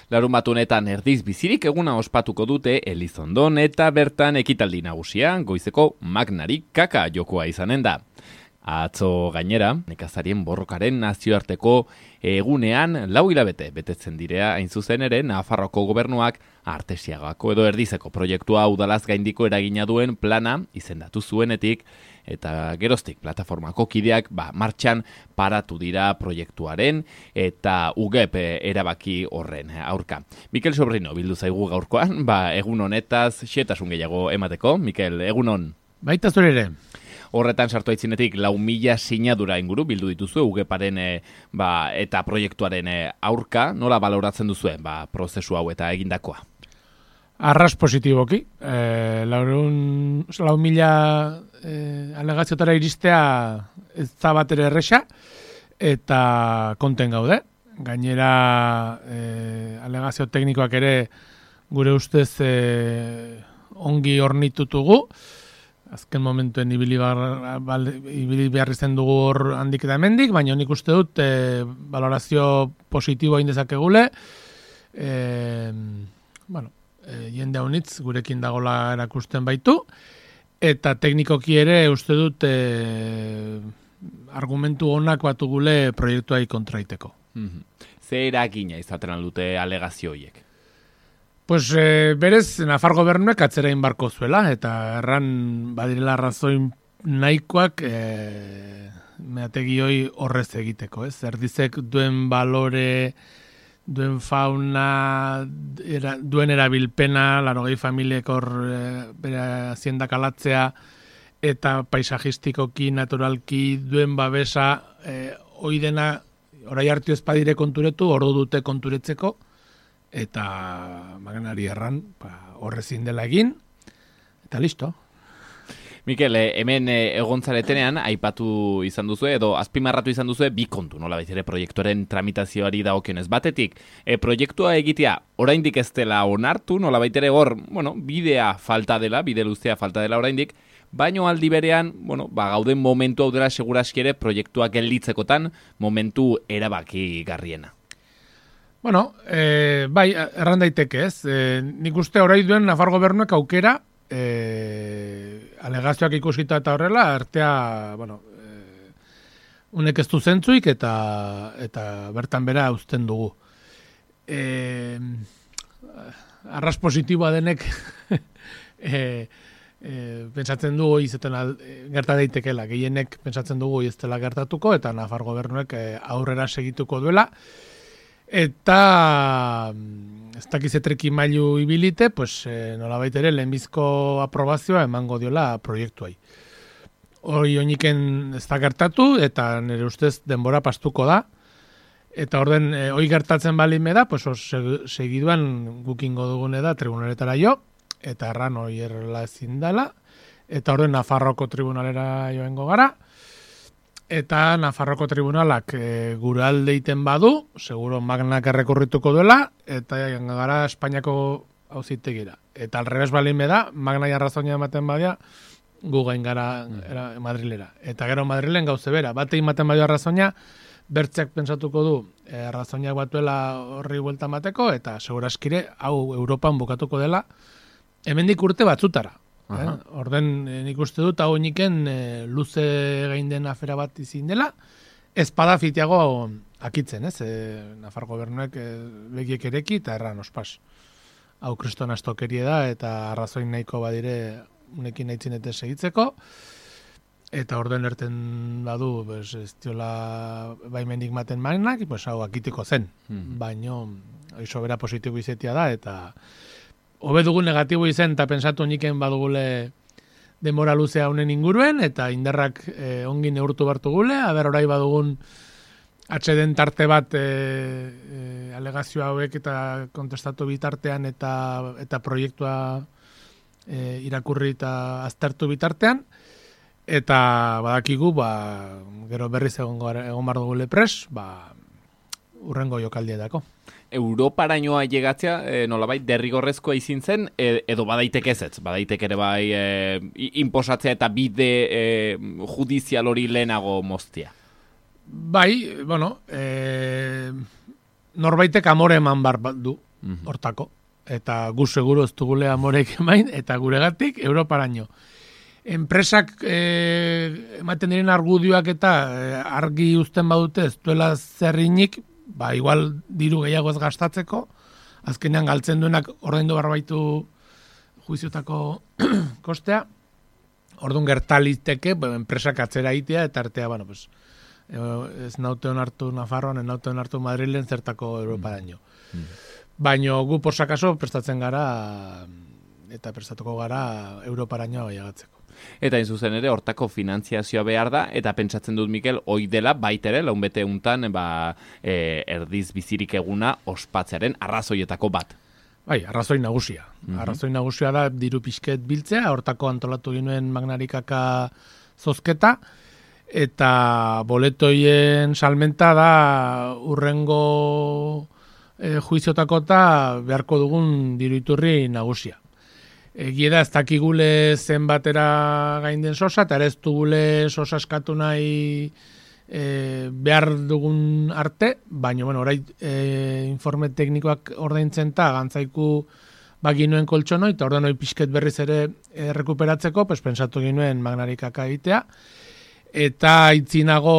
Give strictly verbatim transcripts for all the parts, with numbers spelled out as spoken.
Larunbat honetan erdiz bizirik eguna ospatuko dute Elizondon eta bertan ekitaldi nagusia goizeko magnarik kaka jokoa izanen da. Atzo gainera, nekazarien borrokaren nazioarteko egunean lau hilabete betetzen direa hain zuzen ere Nafarroko gobernuak Artesiagako edo Erdizeko proiektua udalaz gaindiko eragina duen plana izendatu zuenetik eta geroztik plataformako kideak ba, martxan paratu dira proiektuaren eta U G P erabaki horren aurka. Mikel Sobrino bildu zaigu gaurkoan, ba, egun honetaz xetasun gehiago emateko. Mikel, egunon. Baita zure ere. Horretan sartu aitzinetik lau mila sinadura inguru bildu dituzue U G Paren e, ba, eta proiektuaren e, aurka, nola baloratzen duzue ba, prozesu hau eta egindakoa? Arras positiboki. E, laurun, lau mila e, alegazioetara iristea ez da bat ere erresa eta konten gaude. Gainera e, alegazio teknikoak ere gure ustez e, ongi ornitutugu. Azken momentuen ibili, bar, bal, ibili behar izan dugu hor handik eta hemendik, baina nik uste dut e, valorazio positiboa indezakegule. E, bueno, e, jende haunitz gurekin dagola erakusten baitu, eta teknikoki ere uste dut e, argumentu onak batugule proiektuai kontraiteko. Mm-hmm. Ze eragina izaten dute alegazio horiek? Pues e, berez, Nafar gobernuek atzerain barko zuela, eta erran badirela arrazoin nahikoak e, meategioi horrez egiteko, ez? Erdizek duen balore, duen fauna, era, duen erabilpena, larogei familiek hor e, bere haziendak alatzea, eta paisajistikoki, naturalki, duen babesa, e, hoi dena, orai hartu ezpadire konturetu, ordu dute konturetzeko, eta maganari erran ba, horrezin dela egin, eta listo. Mikel, hemen egontzaretenean aipatu izan duzu edo azpimarratu izan duzu bi kontu, nola baitere proiektuaren tramitazioari dagokionez batetik. E, proiektua egitea oraindik ez dela onartu, nola baitere hor, bueno, bidea falta dela, bide luzea falta dela oraindik, baino aldi berean, bueno, ba, gauden momentu hau dela seguraski ere proiektua gelditzekotan momentu erabaki garriena. Bueno, e, bai, erran daiteke ez. E, nik uste orai duen Nafar gobernuek aukera, e, alegazioak ikusita eta horrela, artea, bueno, e, unek ez du zentzuik eta, eta bertan bera uzten dugu. E, arras positiboa denek e, e, pentsatzen dugu izeten gerta daitekela, gehienek pentsatzen dugu ez dela gertatuko, eta Nafar gobernuek e, aurrera segituko duela. Eta ez dakizetreki mailu ibilite, pues, e, nolabait ere lehenbizko aprobazioa emango diola proiektuai. Hori oiniken ez da gertatu, eta nire ustez denbora pastuko da. Eta orden, e, hori gertatzen balime da, pues, segiduan gukingo dugune da tribunaletara jo, eta erran hori errela ezin dela, eta orden Nafarroko tribunalera joengo gara, eta Nafarroko tribunalak e, gure alde iten badu, seguro magnak errekurrituko duela, eta gara Espainiako auzitegira. Eta alrebes balime da, magna arrazoina ematen badia, gu gain gara era, Madrilera. Eta gero Madrilen gauze bera, bate ematen badio arrazoina, bertzeak pensatuko du e, arrazoinak batuela horri buelta mateko, eta seguraskire hau Europan bukatuko dela, hemendik urte batzutara. Eh? Orden nik uste dut hau niken e, luze gain den afera bat izin dela, ezpada fitiago akitzen, ez? E, Nafar gobernuek e, begiek ereki eta erran ospas. Hau kriston astokerie da eta arrazoin nahiko badire unekin naitzinete segitzeko, eta orden erten badu pues, ez diola baimendik maten magnak, pues, hau akitiko zen. Hmm. Baino, oizo bera positibo izetia da, eta hobe dugu negatibo izen eta pensatu niken badugule denbora luzea honen inguruen, eta indarrak e, ongi neurtu bartu gule, aber orai badugun atxeden tarte bat e, e, alegazio hauek eta kontestatu bitartean eta, eta proiektua e, irakurri eta aztertu bitartean, eta badakigu, ba, gero berriz egon, egon bar dugule pres, ba, urrengo jokaldietako. Europarainoa llegatzea, e, nolabait, derrigorrezkoa izin zen, e, edo badaitek ez ez, badaitek ere bai e, inposatzea eta bide e, judizial hori lehenago moztia. Bai, bueno, e, norbaitek amore eman bar du. hortako. Eta gu seguro ez dugule amorek emain, eta guregatik Europaraino. Enpresak eh, ematen diren argudioak eta eh, argi uzten badute ez duela zerrinik, ba igual diru gehiago ez gastatzeko, azkenean galtzen duenak ordaindu barbaitu juiziotako kostea, orduan gertaliteke, ba, enpresak atzera itea, eta artea, bueno, pues, ez naute onartu Nafarroan, ez naute onartu Madrilen zertako Europaraino. Mm. Baina gu posakaso prestatzen gara, eta prestatuko gara Europaraino aiagatzeko. Eta zuzen ere, hortako finantziazioa behar da, eta pentsatzen dut, Mikel, hoi dela baitere, launbete untan, ba, e, erdiz bizirik eguna ospatzearen arrazoietako bat. Bai, arrazoi nagusia. Mm-hmm. Arrazoi nagusia da diru pixket biltzea, hortako antolatu ginoen Magnarikaka zozketa, eta boletoien salmenta da urrengo e, juiziotako eta beharko dugun diru iturri nagusia. Egia da, ez dakigule zenbatera gain den sosa, eta ere ez dugule sosa eskatu nahi e, behar dugun arte, baina, bueno, orai e, informe teknikoak ordaintzen eta gantzaiku baginuen koltsonoi, eta ordenoi pixket berriz ere e, rekuperatzeko, pues, pensatu ginuen Magnarikaka egitea, eta itzinago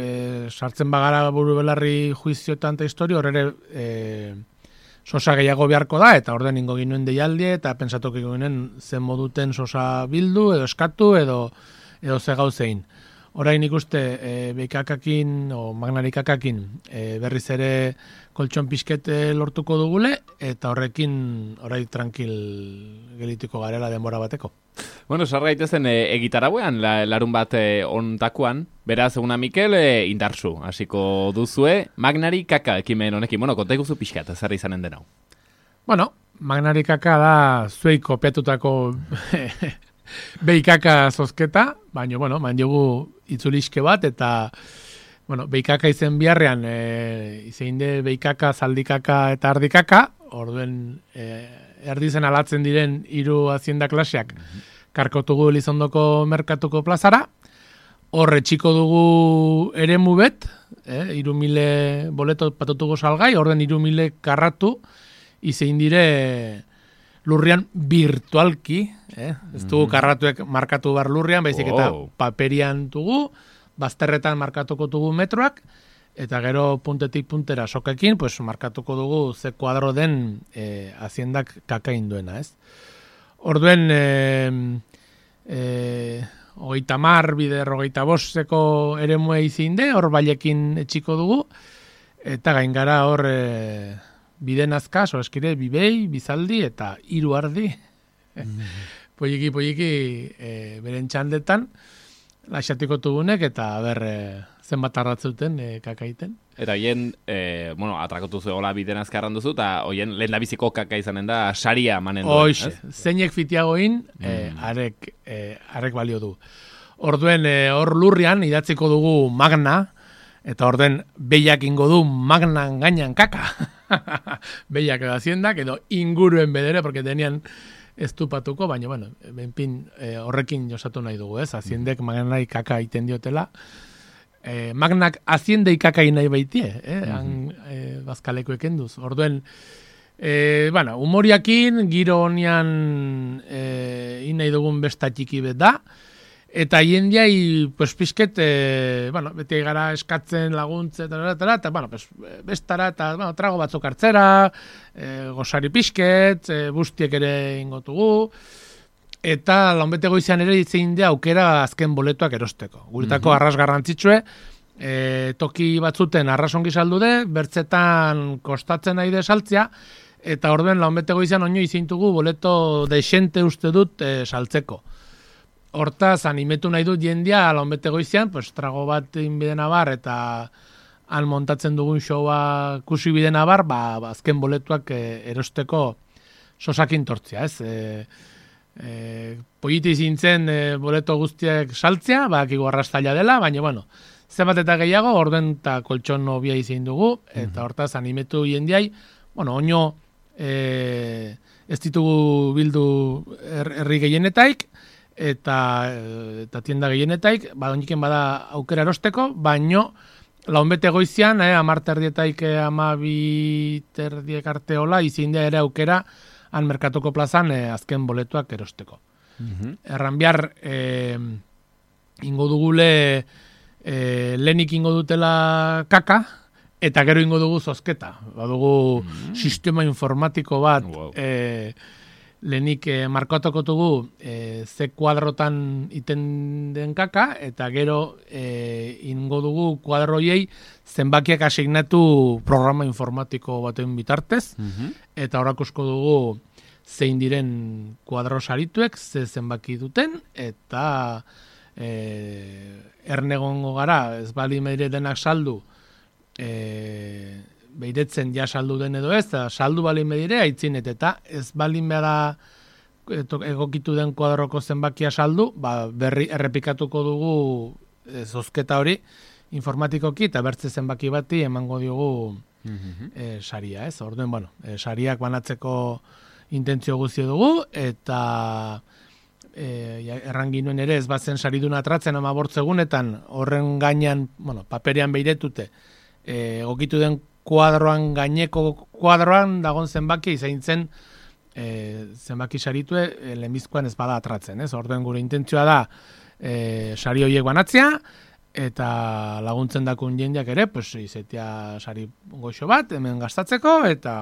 e, sartzen bagara buru belarri juizioetan eta historio, horre e, sosa gehiago beharko da, eta orden ingo ginuen deialdie, eta pensatok ginen zen moduten sosa bildu, edo eskatu, edo, edo ze gauzein. Orain ikuste, e, beikakakin, o Magnarikakakin, e, berriz ere koltson pixket lortuko dugule, eta horrekin orai tranquil gelituko garela denbora bateko. Bueno, sar gaitezen e, egitarauean, la, larun bat e, ontakuan, beraz, eguna Mikel, e, indarzu, hasiko duzue, Magnarikaka ekimen honekin, bueno, konta ikuzu pixkat, zer izanen denau. Bueno, Magnarikaka da zuei kopiatutako beikaka zozketa, baina, bueno, man jogu itzuliske bat, eta, bueno, beikaka izen biharrean, e, izein de beikaka, zaldikaka eta ardikaka, orduen e, erdizen alatzen diren hiru hazienda klaseak, mm-hmm. karkotugu Elizondoko merkatuko plazara, horre txiko dugu eremu bet, eh, iru mile boleto patutuko salgai, orden iru mile karratu, izein dire lurrian virtualki, eh? Ez dugu karratuek markatu bar lurrian, baizik eta wow. paperian dugu, bazterretan markatuko dugu metroak, eta gero puntetik puntera sokekin, pues markatuko dugu ze kuadro den eh, haziendak kakain duena, ez? Orduen, eh, eh, hogeita mar, bider, hogeita bosteko ere mue izinde, hor bailekin etxiko dugu, eta gain gara hor e, bide nazka, eskire, bibei, bizaldi, eta hiru ardi. Mm. Poiki, poiki, e, beren txandetan, laixatiko tugunek, eta ber, e, zenbat arratzuten e, kakaiten. Eta hoien, e, bueno, atrakotu zuegola bide nazka arranduzu, eta hoien lehen labiziko kaka izanen da, saria manen duen. Hoxe, zeinek fitiagoin, mm. e, arek, e, arek balio du. Orduen, e, hor lurrian, idatziko dugu magna, eta orden behiak ingo du magnan gainan kaka. Behiak edo haziendak, edo inguruen bedere, porque tenían estupatuko, baina, bueno, benpin e, horrekin josatu nahi dugu, ez? Haziendek magnai kaka iten diotela. E, magnak haziendei kaka nahi baitie, eh? Han, e, bazkaleko ekenduz. Orduen, e, bueno, humoriakin, giro honian e, in nahi dugun besta txiki bet da, eta jendiai, pues, pixket, e, bueno, beti gara eskatzen laguntze, eta, eta, eta, bueno, pues, bestara, eta, bueno, trago batzuk hartzera, e, gozari pixket, e, bustiek ere ingotugu, eta launbete goizean ere itzein da aukera azken boletuak erosteko. Guretako mm-hmm. arras garrantzitsue, e, toki batzuten arrasongi saldu de, bertzetan kostatzen nahi de saltzia, eta orduen launbete goizean oino izeintugu boleto deixente uste dut e, saltzeko. Hortaz, animetu nahi dut jendia, launbete goizean, pues, trago bat inbidena bar, eta han montatzen dugun showa kusi bidena bar, ba, azken boletuak e, erosteko sosakin tortzia, ez? E, e, Poiti zintzen e, boleto guztiak saltzea, bakigu arrastaila dela, baina, bueno, zenbat eta gehiago, orden eta koltson nobia izin dugu, eta hortaz, animetu jendiai, bueno, oino e, ez ditugu bildu herri gehienetaik, eta eta tienda gehienetaik, ba, oniken bada aukera erosteko, baino launbete goizian, eh, amar terdietaik amabi terdiek arte hola, izindea ere aukera han merkatuko plazan eh, azken boletuak erosteko. Mm-hmm. Erran behar, eh, ingo dugule, eh, lehenik ingo dutela kaka, eta gero ingo dugu zozketa. Badugu mm. sistema informatiko bat, wow. eh, lehenik eh, markatuko dugu eh, ze kuadrotan iten den kaka, eta gero eh, ingo dugu kuadroiei zenbakiak asignatu programa informatiko baten bitartez, mm-hmm. eta horakusko dugu zein diren kuadro sarituek, ze zenbaki duten, eta eh, ernegongo gara, ez bali meire denak saldu, eh, beiretzen ja saldu den edo ez, eta saldu balin medire aitzinet, eta ez balin bera egokitu den kuadroko zenbakia saldu, ba, berri errepikatuko dugu e, zozketa hori informatikoki, eta bertze zenbaki bati emango diogu mm-hmm. e, saria, ez? Orduen, bueno, e, sariak banatzeko intentzio guzti dugu, eta e, erranginuen ere ez batzen saridun atratzen ama bortzegunetan, horren gainean, bueno, paperean beiretute, e, egokitu den kuadroan, gaineko kuadroan dagon zenbaki izain zen e, zenbaki saritue e, lehenbizkoan ez bada atratzen, ez? Orduen gure intentzioa da e, sari horiek banatzea, eta laguntzen dakun jendeak ere, pues, izetia sari goxo bat, hemen gastatzeko, eta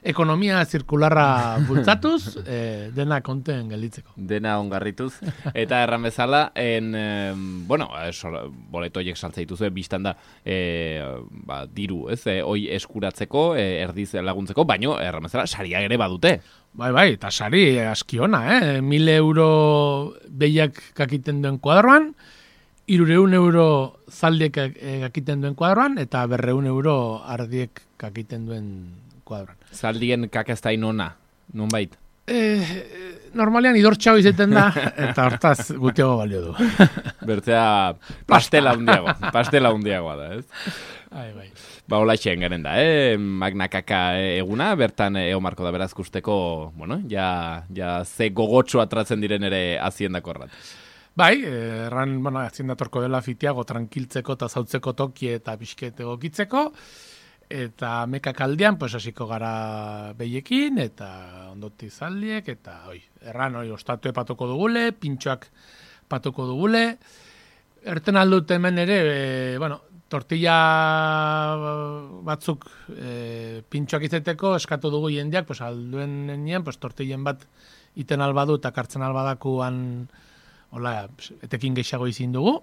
ekonomia zirkularra bultzatuz, eh, dena konten gelditzeko. Dena ongarrituz. Eta erran bezala, en, eh, bueno, boleto horiek saltza dituzue, biztan da, eh, ba, diru, ez, eh, hoi eskuratzeko, eh, erdiz laguntzeko, baino, erran bezala, saria ere badute. Bai, bai, eta sari askiona, eh? Mil euro behiak kakiten duen kuadroan, irureun euro zaldiek kakiten duen kuadroan, eta berreun euro ardiek kakiten duen kuadroan. Zaldien kakaztain ona, non bait? Eh, normalean idortxau izaten da, eta hortaz gutiago balio du. Bertzea pastela hundiago, pastela hundiagoa da, ez? Ai, bai. Ba, hola txen garen da, eh? Magna kaka eguna, bertan eo marko da berazkusteko, bueno, ja, ja ze gogotxo atratzen diren ere aziendako errat. Bai, erran, bueno, aziendatorko dela fitiago, tranquiltzeko eta zautzeko toki eta pixket egokitzeko, eta mekak aldean, pues, hasiko gara behiekin, eta ondoti zaldiek, eta oi, erran, oi, ostatue patuko dugule, pintxoak patuko dugule, erten aldut hemen ere, e, bueno, tortilla batzuk e, pintxoak izeteko, eskatu dugu jendeak, pues, alduen nien, pues, tortillen bat iten albadu, eta kartzen albadakuan, hola, etekin gehiago izin dugu,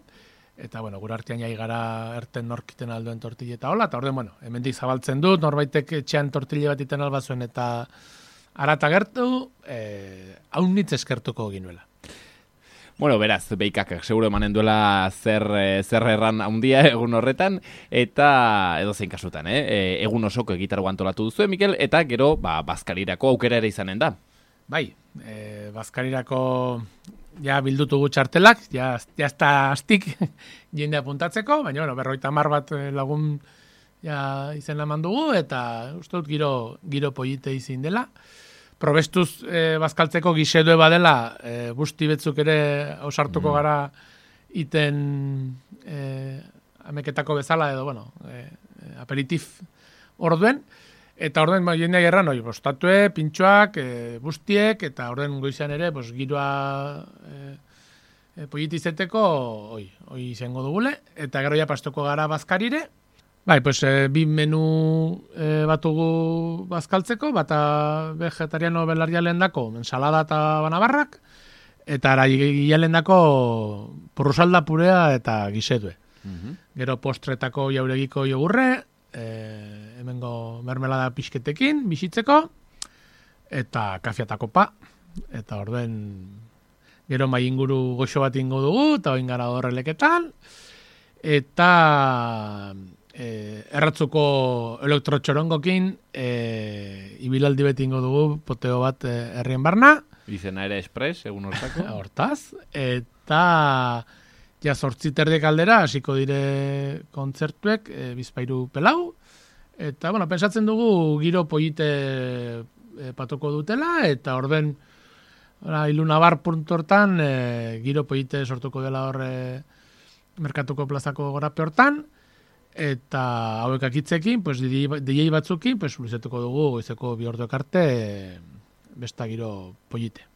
eta, bueno, gure artean jai gara erten norkiten alduen tortille eta hola, eta orden, bueno, hemendik zabaltzen dut, norbaitek etxean tortille bat iten albazuen, eta arata gertu, eh, haunitz eskertuko ginuela. Bueno, beraz, beikak, seguro emanen duela zer, zer erran handia egun horretan, eta edo zein kasutan, eh? Egun osoko egitarago antolatu duzu, Mikel, eta gero, ba, bazkarirako aukera ere izanen da. Bai, eh, bazkarirako ja bildutugu txartelak, ja, ja ez da astik jende apuntatzeko, baina, bueno, berroita mar bat lagun ja izen eman dugu, eta uste dut giro, giro polite izin dela. Probestuz eh, bazkaltzeko gisedue badela, eh, busti betzuk ere ausartuko mm. gara iten eh, ameketako bezala, edo, bueno, eh, aperitif orduen, eta orden ba, jendeak erran, oi, bostatue, pintxoak, e, bustiek, eta orden goizan ere, bos, giroa e, e, pollitizeteko, oi, oi izango dugule, eta gero ja pastoko gara bazkarire. Bai, pues, e, bi menu e, batugu bazkaltzeko, bata vegetariano belarrialen dako, ensalada eta banabarrak, eta ara gialen dako porrusalda purea eta gisedue. Mm-hmm. Gero postretako jauregiko jogurre, Eh, hemengo mermelada pixketekin bizitzeko, eta kafiatako pa, eta orden gero mai inguru goxo bat ingo dugu, eta oin gara horreleketan, eta eh, erratzuko elektrotxorongokin eh, ibilaldi beti ingo dugu, poteo bat eh, herrien barna. Izena ere espres, egun hortako. Hortaz, eta ja zortzi terdek aldera, hasiko dire kontzertuek, e, bizpairu pelau, eta, bueno, pensatzen dugu giro polite e, patoko dutela, eta orden, ilunabar puntortan, e, giro polite sortuko dela horre merkatuko plazako gorape hortan, eta hauek akitzekin, pues, D J batzukin, pues, luzatuko dugu goizeko bi orduak arte besta giro polite.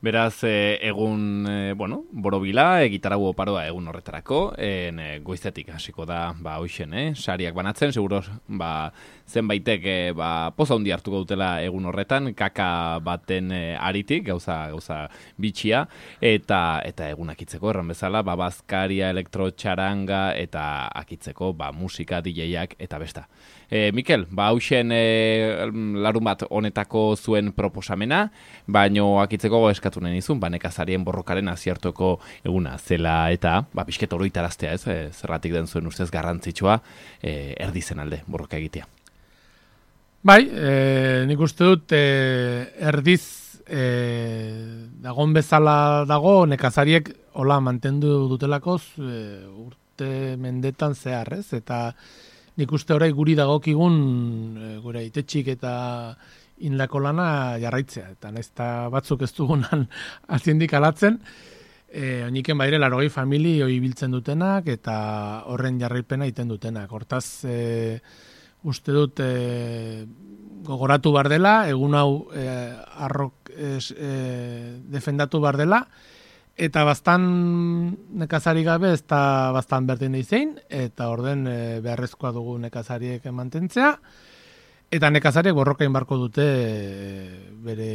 Beraz, e, egun, e, bueno, borobila, e, gitarau oparoa egun horretarako, en, e, goizetik hasiko da, ba, hoixen, eh? Sariak banatzen, seguro, ba, zenbaitek, e, ba, poza hundi hartuko dutela egun horretan, kaka baten e, aritik, gauza, gauza bitxia, eta, eta egun akitzeko, erran bezala, ba, bazkaria, elektrotxaranga, eta akitzeko, ba, musika, D J-ak, eta besta. E, Mikel, ba, hausen e, larun bat honetako zuen proposamena, baino akitzeko eskatu nahi nizun, ba, nekazarien borrokaren aziertoko eguna zela eta, ba, pixket oroitaraztea, ez, e, zerratik den zuen ustez garrantzitsua, e, erdizen alde borroka egitea. Bai, e, nik uste dut, e, erdiz e, dagon bezala dago, nekazariek hola mantendu dutelakoz e, urte mendetan zehar, ez, eta nik uste orai guri dagokigun e, gure itetxik eta indako lana jarraitzea. Eta naizta batzuk ez dugunan aziendik alatzen, e, oiniken baire larogei famili hoi biltzen dutenak eta horren jarraipena iten dutenak. Hortaz, e, uste dut e, gogoratu bar dela, egun hau e, arrok es, e, defendatu bar dela, eta bastan nekazari gabe ez da bastan berdin eizein, eta orden e, beharrezkoa dugu nekazariek mantentzea, eta nekazariek borrokain barko dute e, bere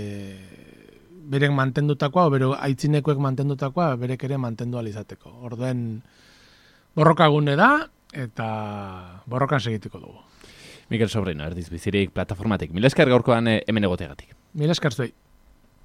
berek mantendutakoa, o bere aitzinekoek mantendutakoa, berek ere mantendu alizateko. Orden borrokagune da, eta borrokan segituko dugu. Mikel Sobrino, Erdiz Bizirik plataformatik. Mila esker gaurkoan hemen egoteagatik. Mila esker zuei.